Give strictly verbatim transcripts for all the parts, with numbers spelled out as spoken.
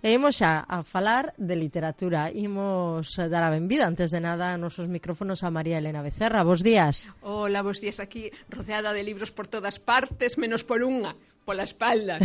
E imos xa a falar de literatura. Imos dar a benvida, antes de nada, a nosos micrófonos a María Elena Becerra. Bos días. Hola, bos días, aquí rodeada de libros por todas partes, menos por unha, pola espalda.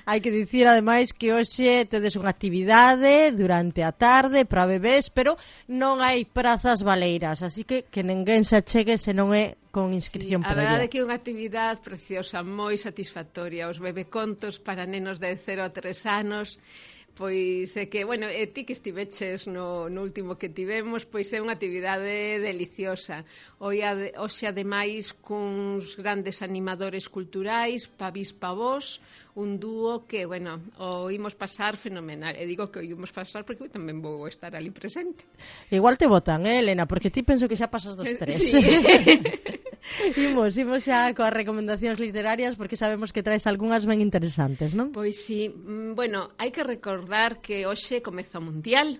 Hai que dicir, ademais, que hoxe tedes unha actividade durante a tarde para bebés, pero non hai prazas baleiras, así que que ninguén se achegue se non é con inscripción Sí, previa. a verdade é que é unha actividade preciosa, moi satisfactoria. Os bebecontos para nenos de cero a tres anos, pois é que, bueno, e ti que estiveches no, no último que tivemos, pois é unha actividade deliciosa. Hoxe, hoxe ademais, cuns grandes animadores culturais, Pavís Pavós, un dúo que, bueno, o imos pasar fenomenal. E digo que o imos pasar porque eu tamén vou estar ali presente. Igual te botan, eh, Elena, porque ti penso que xa pasas dos tres. Sí. Imos, imos xa coas recomendacións literarias porque sabemos que traes algunhas ben interesantes, non? Pois sí, bueno, hai que recordar que hoxe comeza o Mundial.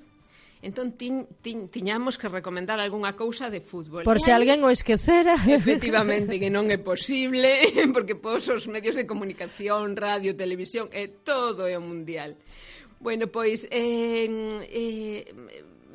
Entón tiñ, tiñ, tiñamos que recomendar algunha cousa de fútbol. Por se alguén o esquecera. Efectivamente, que non é posible, porque pos os medios de comunicación, radio, televisión, e todo é o Mundial. Bueno, pois eh, eh,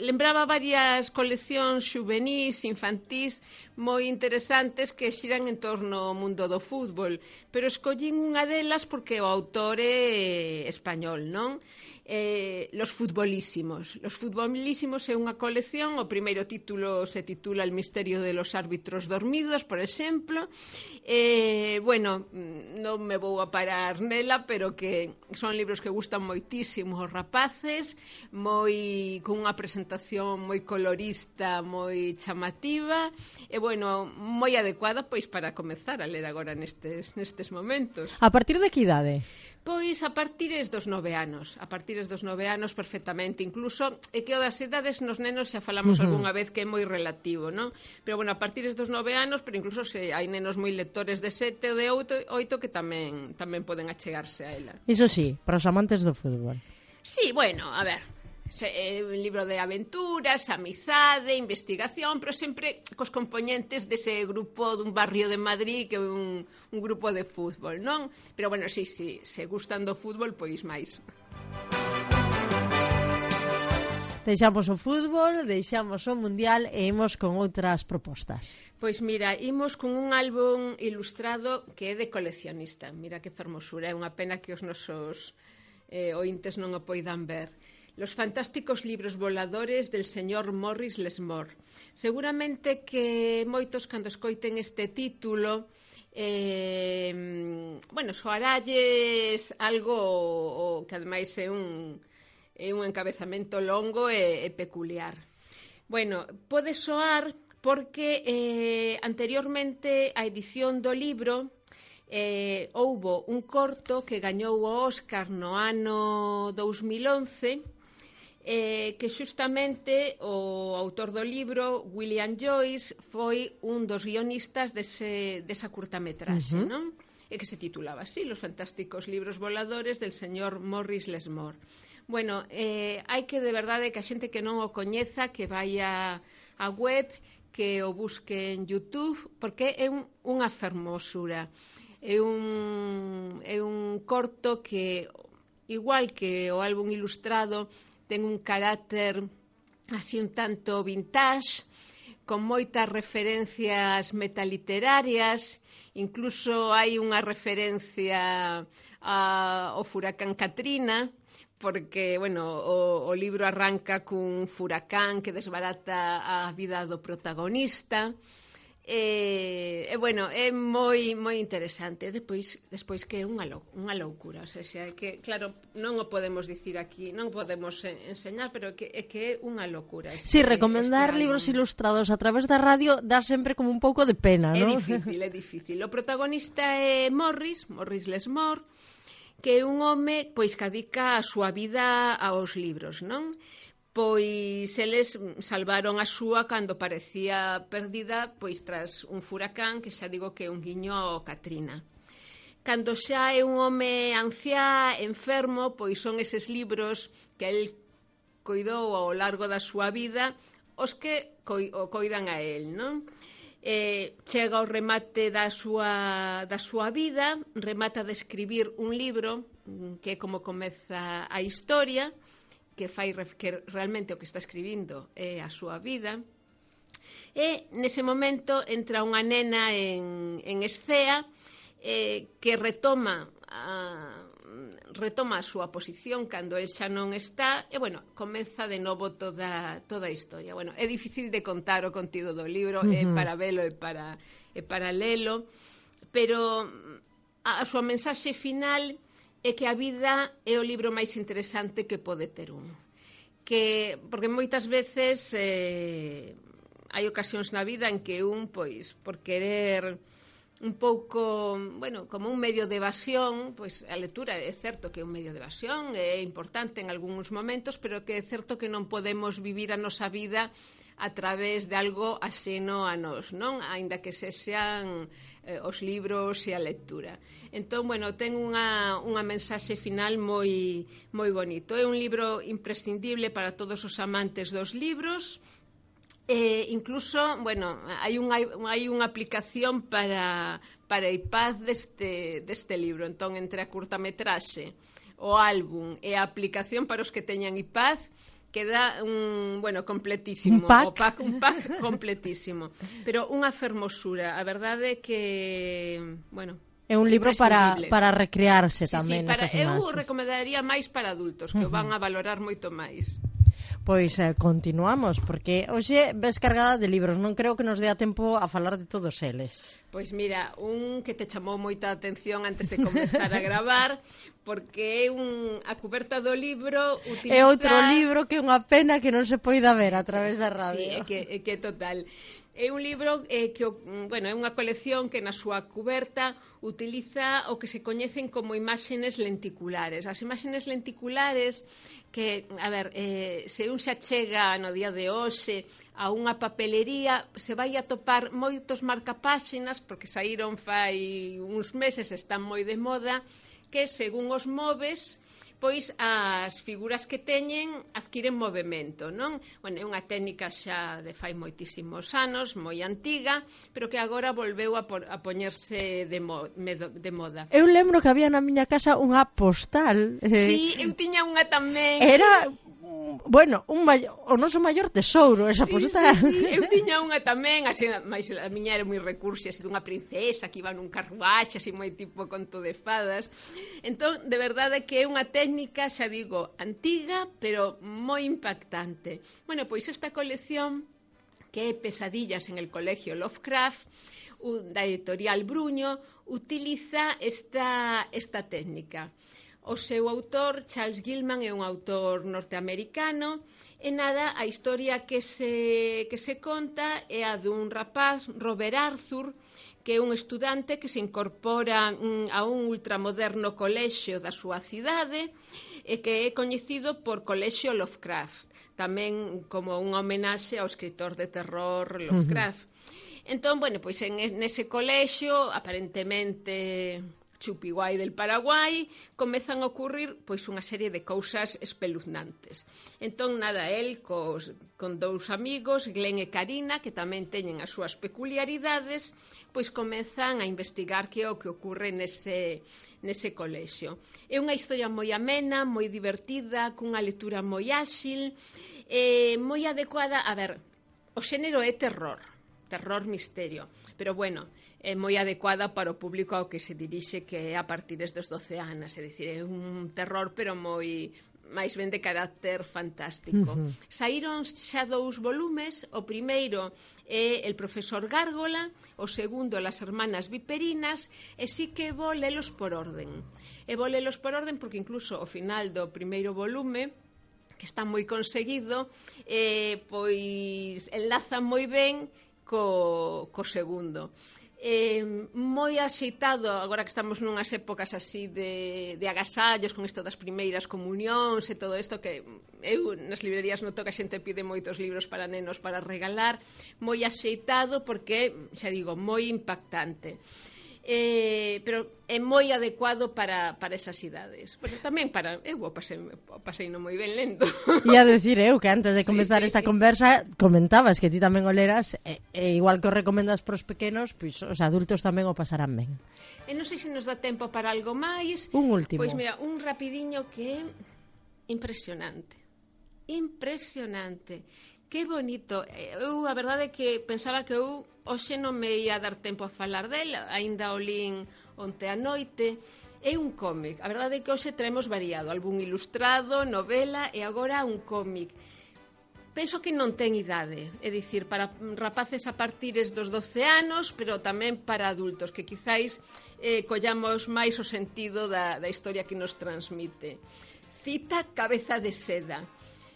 lembraba varias coleccións xuvenís, infantís, moi interesantes que xiran en torno ao mundo do fútbol, pero escollín unha delas porque o autor é español, non? Eh, Los Futbolísimos. Los Futbolísimos é unha colección, o primeiro título se titula El misterio de los árbitros dormidos, por exemplo. Eh, bueno, non me vou a parar nela, pero que son libros que gustan moitísimo aos rapaces, moi con unha presentación moi colorista, moi chamativa, e bueno, moi adecuada pois para comezar a ler agora nestes, nestes momentos. A partir de que idade? Pois a partires dos nove anos, a partires dos nove anos perfectamente, incluso é que o das edades nos nenos xa falamos uh-huh. algunha vez que é moi relativo, non? Pero bueno, a partires dos nove anos, pero incluso se hai nenos moi lectores de sete ou de oito, oito que tamén tamén poden achegarse a ela. Iso sí, para os amantes do fútbol. Sí, bueno, a ver, é un libro de aventuras, amizade, investigación, pero sempre cos componentes dese grupo dun barrio de Madrid que é un, un grupo de fútbol, non? Pero bueno, sí, sí, se gustan do fútbol, pois máis. Deixamos o fútbol, deixamos o mundial e imos con outras propostas. Pois mira, imos con un álbum ilustrado que é de coleccionista. Mira que fermosura, é unha pena que os nosos eh, ointes non o poidan ver. Los fantásticos libros voladores del señor Morris Lesmore. Seguramente que moitos cando escoiten este título eh, bueno, soaralles algo o, que ademais é un, é un encabezamento longo e, e peculiar. Bueno, pode soar porque eh, anteriormente a edición do libro eh, houbo un corto que gañou o Óscar no ano dous mil once, Eh, que xustamente o autor do libro, William Joyce, foi un dos guionistas dese, desa curtametraxe, uh-huh. non? E que se titulaba así, Los fantásticos libros voladores del señor Morris Lesmore. Bueno, eh, hai que de verdade que a xente que non o coñeza, que vai a, a web, que o busque en YouTube, porque é un, unha fermosura. É un, é un corto que, igual que o álbum ilustrado, ten un carácter así un tanto vintage, con moitas referencias metaliterarias, incluso hai unha referencia ao furacán Katrina, porque, bueno, o, o libro arranca cun furacán que desbarata a vida do protagonista. E, e bueno, é moi moi interesante. Despois despois que é unha lou, unha loucura, o sea, xa, que claro, non o podemos dicir aquí, non podemos enseñar, pero que é que é unha locura. Este, sí, recomendar este libros ilustrados a través da radio dá sempre como un pouco de pena, é non? É difícil, é difícil. O protagonista é Morris, Morris Lesmore, que é un home pois que dedica a súa vida aos libros, non? Pois eles salvaron a súa cando parecía perdida, pois tras un furacán, que xa digo que é un guiño ao Katrina. Cando xa é un home anciá, enfermo, pois son eses libros que el coidou ao largo da súa vida os que o coidan a el, non? eh, chega ao remate da súa, da súa vida, remata de escribir un libro que é como comeza a historia, que fai que realmente o que está escribindo é a súa vida. E nese momento entra unha nena en, en escea eh, que retoma a, retoma a súa posición cando el xa non está e, bueno, comeza de novo toda, toda a historia. Bueno, é difícil de contar o contido do libro, uh-huh. é para velo e para, é para lelo, pero a, a súa mensaxe final é que a vida é o libro máis interesante que pode ter un. Que, porque moitas veces eh, hai ocasións na vida en que un, pois, por querer un pouco, bueno, como un medio de evasión, pois a lectura é certo que é un medio de evasión, é importante en algúns momentos, pero que é certo que non podemos vivir a nosa vida a través de algo axeno a nós, non? Aínda que se sean eh, os libros e a lectura. Entón, bueno, ten unha, unha mensaxe final moi, moi bonito. É un libro imprescindible para todos os amantes dos libros. Eh, incluso, bueno, hai unha, hai unha aplicación para, para iPad deste, deste libro. Entón, entre a curtametraxe, o álbum e a aplicación para os que teñan iPad, queda un, bueno, completísimo. Un pack? O pack, un pack completísimo. Pero unha fermosura. A verdade é que, bueno, é un libro para, para recrearse sí, tamén sí, para, nesas imaxes. Eu recomendaría máis para adultos, que uh-huh. o van a valorar moito máis. Pois eh, continuamos, porque hoxe ves cargada de libros, non creo que nos dea tempo a falar de todos eles. Pois mira, un que te chamou moita atención antes de comenzar a gravar, porque é un, a cuberta do libro utiliza... É outro libro que é unha pena que non se poida ver a través da radio. Sí, é que, é que total. É un libro eh, que, bueno, é unha colección que na súa cuberta utiliza o que se coñecen como imaxes lenticulares. As imaxes lenticulares que, a ver, eh, se un xa chega no día de hoxe a unha papelería, se vai a topar moitos marcapáxinas, porque saíron fai uns meses, están moi de moda, que según os moves, pois as figuras que teñen adquiren movemento, non? Bueno, é unha técnica xa de fai moitísimos anos, moi antiga, pero que agora volveu a, por, a poñerse de, mo, de moda. Eu lembro que había na miña casa unha postal. Eh, sí, eu tiña unha tamén. Era... Bueno, un maior, o noso maior tesouro esa sí, postal. Sí, sí, eu tiña unha tamén, así, mais a miña era moi recursia, así dunha princesa que iba nun carruaxe, así moi tipo conto de fadas. Entón, de verdade que é unha técnica, xa digo, antiga, pero moi impactante. Bueno, pois esta colección, que é Pesadillas en el Colegio Lovecraft, da editorial Bruño, utiliza esta, esta técnica. O seu autor, Charles Gilman, é un autor norteamericano e nada, a historia que se, que se conta é a dun rapaz, Robert Arthur, que é un estudante que se incorpora a un ultramoderno colexio da súa cidade e que é coñecido por Colexio Lovecraft, tamén como unha homenaxe ao escritor de terror Lovecraft. Uh-huh. Entón, bueno, pois en nese colexio, aparentemente Chupiguai del Paraguai, comezan a ocurrir pois unha serie de cousas espeluznantes. Entón, nada, el cos, con dous amigos, Glenn e Karina, que tamén teñen as súas peculiaridades, pois comezan a investigar que é o que ocorre nese, nese colexio. É unha historia moi amena, moi divertida, cunha lectura moi áxil, eh, moi adecuada. A ver, o xénero é terror, terror misterio, pero bueno, é moi adecuada para o público ao que se dirixe, que é a partir dos doce anos, é dicir, é un terror pero moi máis ben de carácter fantástico. Uh-huh. Saíron xa dous volumes, o primeiro é El profesor Gárgola, o segundo Las hermanas viperinas, e si que vou lelos por orden. E vou lelos por orden porque incluso ao final do primeiro volume, que está moi conseguido, eh, pois enlaza moi ben co, co segundo. Eh, moi axeitado, agora que estamos nunhas épocas así de, de agasallos con isto das primeiras comunións e todo isto, que eu nas librerías noto que a xente pide moitos libros para nenos para regalar, moi axeitado porque, xa digo, moi impactante. Eh, pero é moi adecuado para, para esas idades. Pero tamén para... Eu o pasei, o pasei no moi ben lento. Ia decir eu que antes de comenzar sí, sí, esta sí. conversa comentabas que ti tamén o leras e, e igual que o recomendas pros pequenos, pois os adultos tamén o pasarán ben. E non sei se nos dá tempo para algo máis. Un último. Pois mira, un rapidiño que é impresionante. Impresionante. Que bonito. Eu, a verdade é que pensaba que eu hoxe non me ia dar tempo a falar dela, aínda o lín onte a noite. É un cómic. A verdade é que hoxe traemos variado, algún ilustrado, novela e agora un cómic. Penso que non ten idade, é dicir, para rapaces a partires dos doce anos, pero tamén para adultos, que quizáis eh, collamos máis o sentido da, da historia que nos transmite. Cita Cabeza de Seda,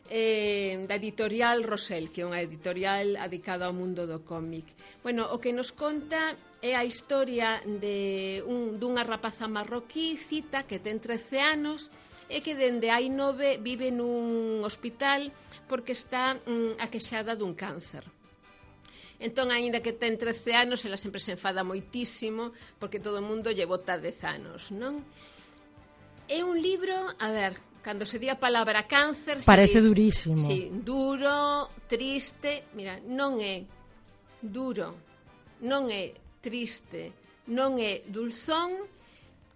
eh, da editorial Rosell, que é unha editorial adicada ao mundo do cómic. Bueno, o que nos conta é a historia de un, dunha rapaza marroquí, Cita, que ten trece anos, e que dende hai nove vive nun hospital porque está mm, aquexada dun cáncer. Entón, aínda que ten trece anos, ela sempre se enfada moitísimo porque todo o mundo lle bota dez anos, non? É un libro, a ver, cando se di a palabra cáncer... Parece dis, durísimo. Sí, duro, triste... Mira, non é duro, non é triste, non é dulzón,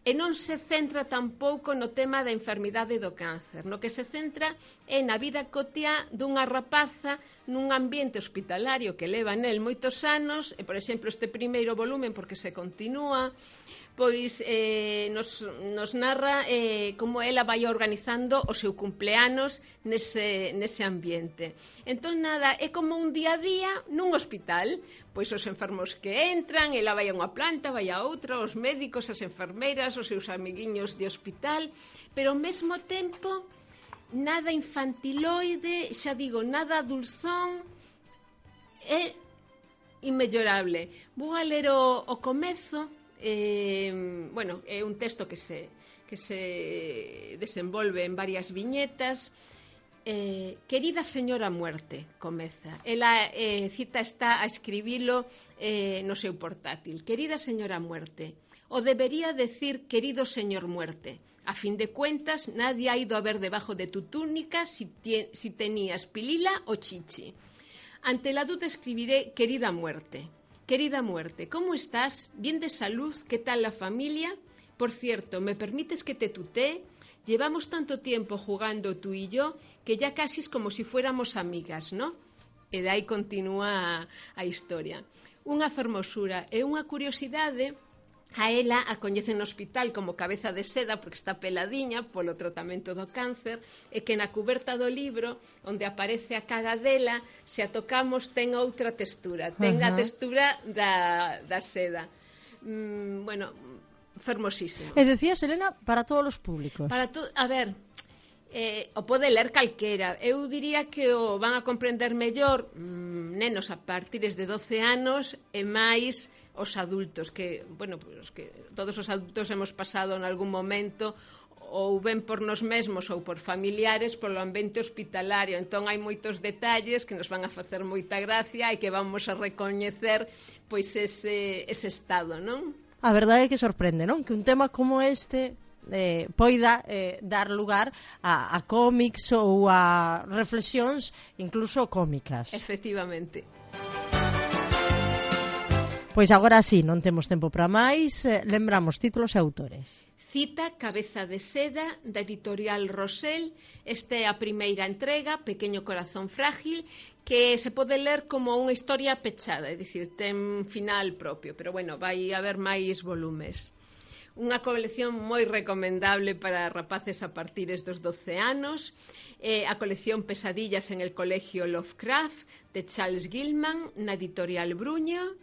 e non se centra tampouco no tema da enfermidade do cáncer. No que se centra é na vida cotiá dunha rapaza nun ambiente hospitalario que leva nel moitos anos, e, por exemplo, este primeiro volumen, porque se continúa, pois eh, nos, nos narra eh, como ela vai organizando o seu cumpleanos nese, nese ambiente. Entón, nada, é como un día a día nun hospital, pois os enfermos que entran, ela vai a unha planta, vai a outra, os médicos, as enfermeiras, os seus amiguiños de hospital, pero ao mesmo tempo nada infantiloide, xa digo, nada dulzón, é inmellorable. Vou a ler o, o comezo. Eh, bueno, é un texto que se, que se desenvolve en varias viñetas. eh, Querida señora muerte, comeza. Ela, eh, Cita está a escribilo eh, no seu portátil. Querida señora muerte, o debería decir querido señor muerte. A fin de cuentas, nadie ha ido a ver debajo de tu túnica si, si tenías pilila o chichi. Ante la duda escribiré querida muerte. Querida muerte, ¿cómo estás? ¿Bien de salud? ¿Qué tal la familia? Por cierto, ¿me permites que te tutee? Llevamos tanto tiempo jugando tú y yo que ya casi es como si fuéramos amigas, ¿no? E de aí continúa a, a historia. Unha fermosura e unha curiosidade. A ela a coñecen no hospital como Cabeza de Seda porque está peladiña polo tratamento do cáncer, e que na cuberta do libro onde aparece a cara dela, se a tocamos ten outra textura, ten uh-huh. a textura da, da seda. mm, bueno, fermosísimo. E decías, Elena, para todos os públicos. Para to- a ver, eh, o pode ler calquera. Eu diría que o van a comprender mellor mmm, nenos a partires de doce anos e máis os adultos, que, bueno, pues que todos os adultos hemos pasado en algún momento ou ben por nos mesmos ou por familiares polo ambiente hospitalario. Entón hai moitos detalles que nos van a facer moita gracia e que vamos a recoñecer pois ese, ese estado, non? A verdade é que sorprende, non? Que un tema como este eh, poida eh, dar lugar a, a cómics ou a reflexións incluso cómicas. Efectivamente. Pois agora sí, non temos tempo para máis. eh, Lembramos títulos e autores. Cita Cabeza de Seda, da editorial Rosell. Esta é a primeira entrega, Pequeño corazón frágil, que se pode ler como unha historia pechada, é dicir, ten final propio, pero bueno, vai haber máis volumes. Unha colección moi recomendable para rapaces a partires dos doce anos, eh, a colección Pesadillas en el Colegio Lovecraft, de Charles Gilman, na editorial Bruño.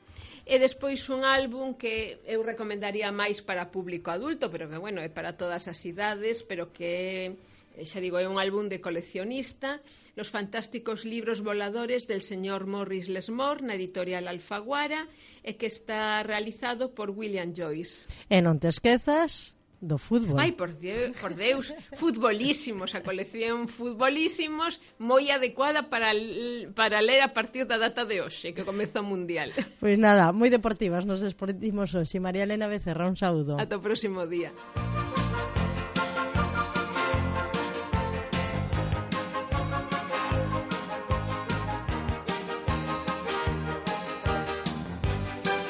E despois un álbum que eu recomendaría máis para público adulto, pero que, bueno, é para todas as idades, pero que, xa digo, é un álbum de coleccionista, Los fantásticos libros voladores del señor Morris Lesmore, na editorial Alfaguara, e que está realizado por William Joyce. E non te esquezas do fútbol. Ai, por Deus, por Deus, futbolísimos, a colección futbolísimos, moi adecuada para, para ler a partir da data de hoxe, que comeza o Mundial. Pois nada, moi deportivas, nos despedimos hoxe. María Elena Becerra, un saúdo. Ata o próximo día.